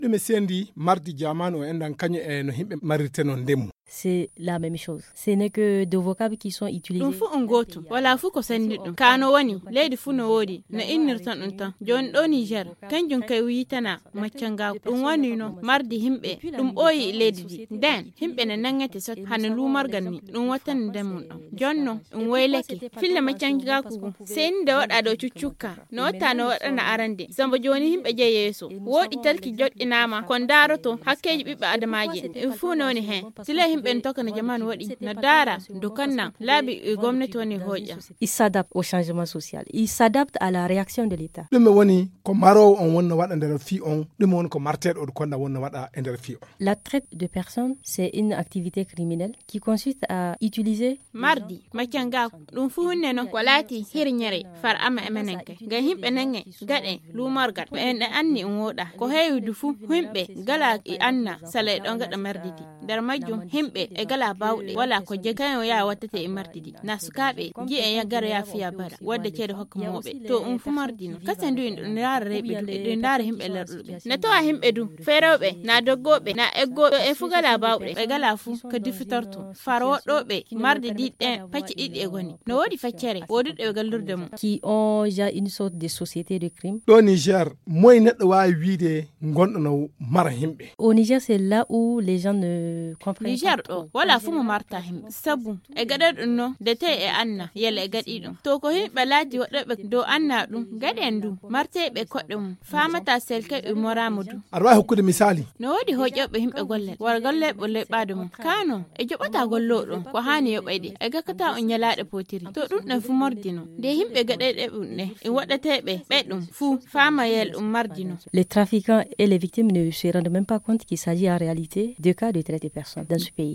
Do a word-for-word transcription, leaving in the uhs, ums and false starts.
Ɗume sendi mardi jamaanu o enɗan kañum e no yimɓe marirteno ndemu? C'est la même chose. Ce n'est que deux vocables qui sont utilisés. Ɗum fuu on gootum, walaa fuu ko senndi ɗum. Kaa no woni, leydi fuu no woodi, no innirton ɗum tan. Jooni ɗoo Niger, kanjum kay wiitana maccangaaku. Ɗum woni no mardi yimɓe, ɗum ɓooyi e leydi ndi. Nden, yimɓe ne nanngete sot hano luumorgal ni, ɗum wattani nden mum ɗon. Jonno, ɗum waylake. Filla maccangaaku ngu, sey ni nde waɗa ɗo cuccukka. No watta no waɗana arande. Samba jooni yimɓe jeyi yeeso. Wooɗi talki joɗɗinaama, ko ndaaroto hakkeeji ɓiɓɓe adamaaji. Ɗum fuu no woni heen. Sila yimɓe no tokka no jamaanu waɗi, no ndaara, dokanna, laabi e gomnati woni hooƴa. Il s'adapte au changement social. Il s'adapte à la réaction de l'État. Ɗume woni ko maroowo on wonno waɗa nder fii on? Ɗume woni ko marteeɗo on konna wonno waɗa e nder fii on? La traite de personnes, c'est une activité criminelle qui consiste à utiliser. Mardi, maccangaaku, ɗum fuu huunde non ko laati hirñere far ama e menen kay. Ngam yimɓe nange, gaɗe, luumorgal, ko en e anni um wooɗa. Ko heewi du fuu, yimɓe gala e anna sala e ɗon gaɗa mardi di. Nder majjum, yimɓe e gala baawɗe, wala ko jegi kañum yaa wattete e mardi di. Na sukaaɓe, ji'e ya gara ya fiya bara, wadda ceede hokka mooɓe. To um fuu mardi non. Kasen du en ɗum ndaara rewɓe du, e ɗum ndaara yimɓe larɗuɓe. Na tawa yimɓe du, feerewɓe, na doggooɓe, na eggooɓe, e fuu gala baawɗe, e gala fuu ko difitorto. Far woɗɗooɓe marde ɗiɗi ɗen pacce ɗiɗi e goni. No woodi feccere, woduɗo e gallurde mum. Qui ont déjà une sorte de société de crime. Ɗo Niger, moye neɗɗo waawi wiide gonɗo no mara yimɓe? Au Niger, c'est là où les gens ne comprennent Niger pas ɗo, trop. Wala fuu mo marta yimɓe. Sabu, e gaɗa ɗum no, de tey e anna, yalla e gaɗi ɗum. To ko yimɓe laati woɗɗooɓe dow anna ɗum, gaɗen du, marteeɓe koɗɗe mum, faamata selke e moraama du. Aɗa waawi hokkude misaali? No woodi hoƴooɓe yimɓe gollal, wara gollal ɓe leɓɓaade mum. Kaano, e joɓata gollooɗo, ko haani yoɓayde, e gakkata on ñalaaɗe pootiri. To ɗum ɗon fuu mordino, de yimɓe gaɗayɗe ɗum ɗe, e waɗateeɓe ɓe ɗum fuu, faamayel ɗum mardino. Les trafiquants et les victimes ne se rendent même pas compte qu'il s'agit en réalité de cas de traite de personnes dans ce pays.